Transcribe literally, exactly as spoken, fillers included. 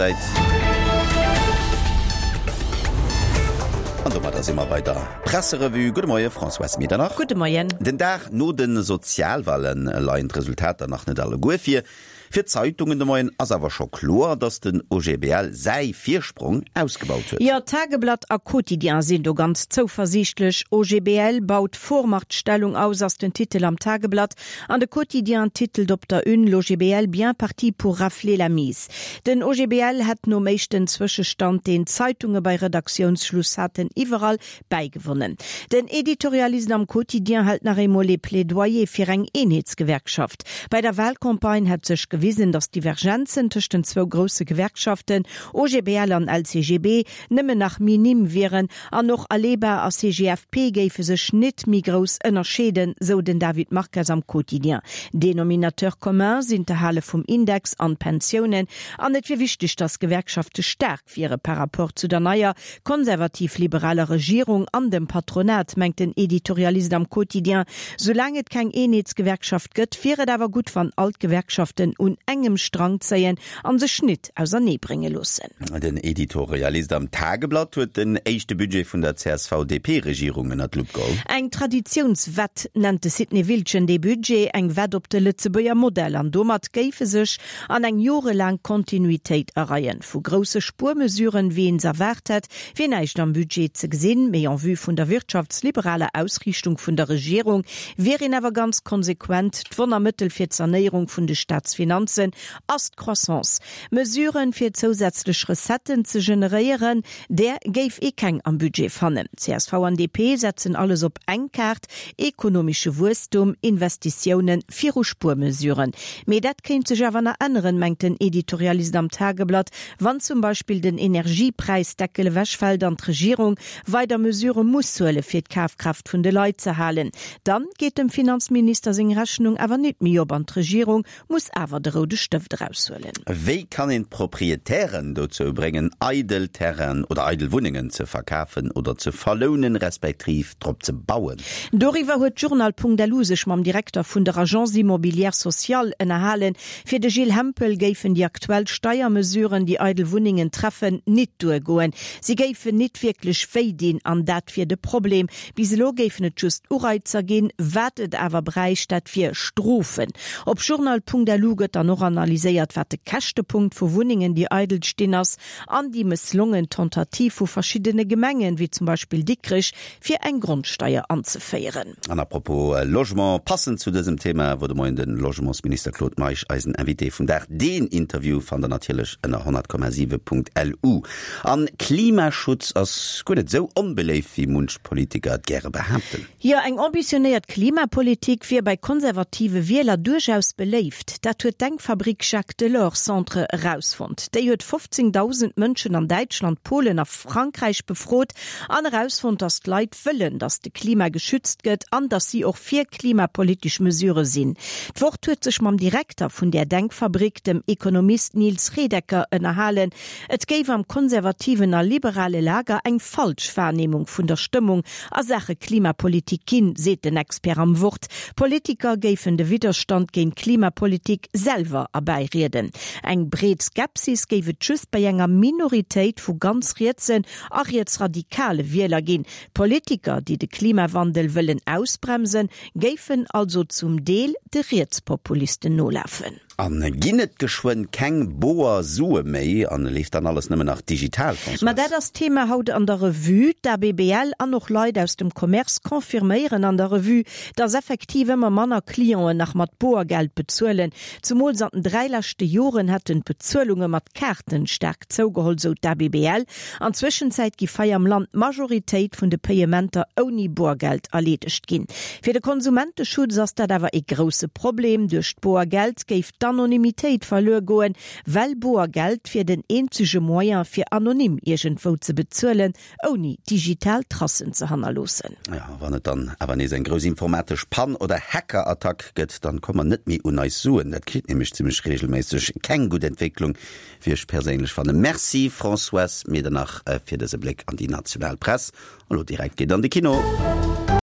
Zäit. An domadder si mer bei der Presserevue. Gudde Moie Françoise Medernach. Gudde Moien. Den Dag no de Sozialwale leien d'Resultater nach net alleguer vir. Fir d'Zeitungen de Moien ass awer scho kloer, datt den OGBL säi Virsprong ausgebaut huet. Jo, Tageblatt a Quotidien sinn do ganz zouversiichtlech. OGBL baut Vormachtstellung aus ass den Titel am Tageblatt an de Quotidien titelt op der Une, L'OGBL bien parti pour rafler la mise. Den OGBL hätt nom éischten Zwëschestand, deen d'Zeitunge bei Redaktiounsschluss haten, iwwerall bäigewonnen. Den Editorialist am Quotidien hält nach eemol ee Plädoyer fir eng Eenheetsgewerkschaft. Bei der Wahlcampagne hätt sech gewisen, datt d'Divergenzen tëscht den zwou grousse Gewerkschaften, OGBL an LCGB, nëmmen nach minim wieren an och Aleba a CGFP géife sech nit méi grouss ënnerscheeden, sou den David Marques am Quotidien. Dénominateur commun sinn d'Erhale vum Index an d'Pensiounen an et wier wichteg, datt d'Gewerkschafte staark wiere par rapport zu der neier konservativ-liberaler Regierung an dem Patronat, mengt den Editorialist am Quotidien. Soulaang et keng Eenheetsgewerkschaft gëtt, wier et awer gutt, wann all d'Gewerkschaften un engem Strang zéien an sech nit ausernee brénge loossen. Den Editorialist am Tageblatt huet den éischte Budget vun der CSV-DP-Regierung ënner d'Lupp geholl. Eng Traditiounswett nennt de Sidney Wiltgen dee Budget, eng Wett op de Lëtzebuerger Modell an domat géif e sech an eng jorelaang Kontinuitéit areien. Vu grousse Spuermesuren, wéi een se erwaart hätt, wier näischt am Budget ze gesinn, mee en vue vun der wirtschaftsliberaler Ausriichtung vun der Regierung wier een awer ganz konsequent. D'Wonnermëttel fir d'Sanéierung vun de Staatsfinanzen ass d'Croissance. Mesuren, fir zousätzlech Recetten ze generéieren, där géif ee keng am Budget fannen. Csv an DP setzen alles op eng Kaart, ekonomesche Wuesstum, Investitiounen viru Spuermesuren. Mee dat kéint sech awer nach änneren, mengt den Editorialist am Tageblatt, wann zum Beispill den Energiepräisdeckel ewechfält an d'Regierung weider Mesurë muss huele fir d'Kafkraaft vun de Leit ze halen. Dann geet dem Finanzminister seng Rechnung awer nit méi op an d'Regierung muss awer de roude Stëft eraushuelen. Wéi kann een d'Proprietären dozou bréngen, eidel Terrainen oder eidel Wunnengen ze verkafen oder ze verlounen, respektiv drop ze bauen? Doriwwer huet Journal.lu sech mam Direkter vun der Agence Immobilière Sociale ënnerhalen. Fir de Gilles Hempel géifen déi aktuell Steiermesuren, déi eidel Wunnengen treffen, nit duergoen. Si géifen nit wierklech wéi dinn an dat wier de Problem. Bis elo géifen et just Ureizer ginn, wat et awer bräicht, dat wier Strofen. Op Journal.lu gëtt dann och analyséiert, wat de Käschtepunkt vu Wunnengen, déi eidel stinn, ass an déi mësslongen Tentative vu verschiddene Gemengen, wéi zum Beispill Dikrech, fir eng Grondsteier anzeféieren. An à propos Logement, passend zu dësem Thema wor de Moien de Logementsminister Claude Meisch eisen Invité vum Dag. Deen Interview fannt der natierlech ënner honnert Komma siwe Punkt lu. An Klimaschutz ass guer net esou onbeléift, wéi munch Politiker et gäre behaapten. Jo, eng ambitionéiert Klimapolitik wier bei konservative Wieler duerchaus beléift. Dat huet d'Denkfabrik Jacques Delors Centre erausfonnt. Déi huet fofzéngdausend Mënschen an Däitschland, Polen a Frankräich befrot an erausfonnt, datt d'Leit wëllen, datt de Klima geschützt gëtt an datt si och fir klimapolitesch Mesurë sinn. D'Wort huet sech mam Direkter vun där Denkfabrik, dem Ekonomist Nils Redecker, ënnerhalen. Et géif am konservativen a liberale Lager eng falsch Wahrnehmung vun der Stëmmung a Saache Klimapolitik ginn, seet den Expert am Wort. Politiker géifen de Widderstand géint Klimapolitik selwer erbäirieden. Eng breet Skepsis géif et just bei enger Minoritéit vu ganz rietsen a rietsradikale Wieler ginn. Politiker, déi de Klimawandel wëllen ausbremsen, géifen also zum Deel de Rietspopulisten nolafen. A ginn et geschwënn keng boer Sue méi an leeft dann alles nëmmen nach digital, Françoise? Ma dat ass d'Thema haut an der Revue. D'ABBL an och Leit aus dem Commerce confirméieren an der Revue, dass effektiv ëmmer manner Clienten nach mat Boergeld bezuelen. Zumools an den dräi leschte Joren hätten d'Bezuelunge mat Kaarten staark zougeholl, sou d'ABBL. An Zwëschenzäit giff hei am Land d'Majoritéit vun de Payementer ouni Boergeld erleedegt ginn. Fir de Konsumenteschutz ass dat awer ee grousse Problem. Duerch d'Boergeld géif d'Anonymitéit verluer goen, well Boergeld wier den eenzege Moyen fir anonym iergendwou ze bezuelen, ouni digital Tracen ze hannerloossen. Jo, wann et dann awer nees eng grouss informatesch Pann oder Hackerattack gëtt, dann komme mer net méi un eis Suen. Dat geschitt nämlech zimmlech regelméisseg. Keng gutt Entwécklung, wéi ech perséinlech fannen. Merci Françoise Medernach fir dëse Bléck an déi national Press. An elo direkt geet an de Kino.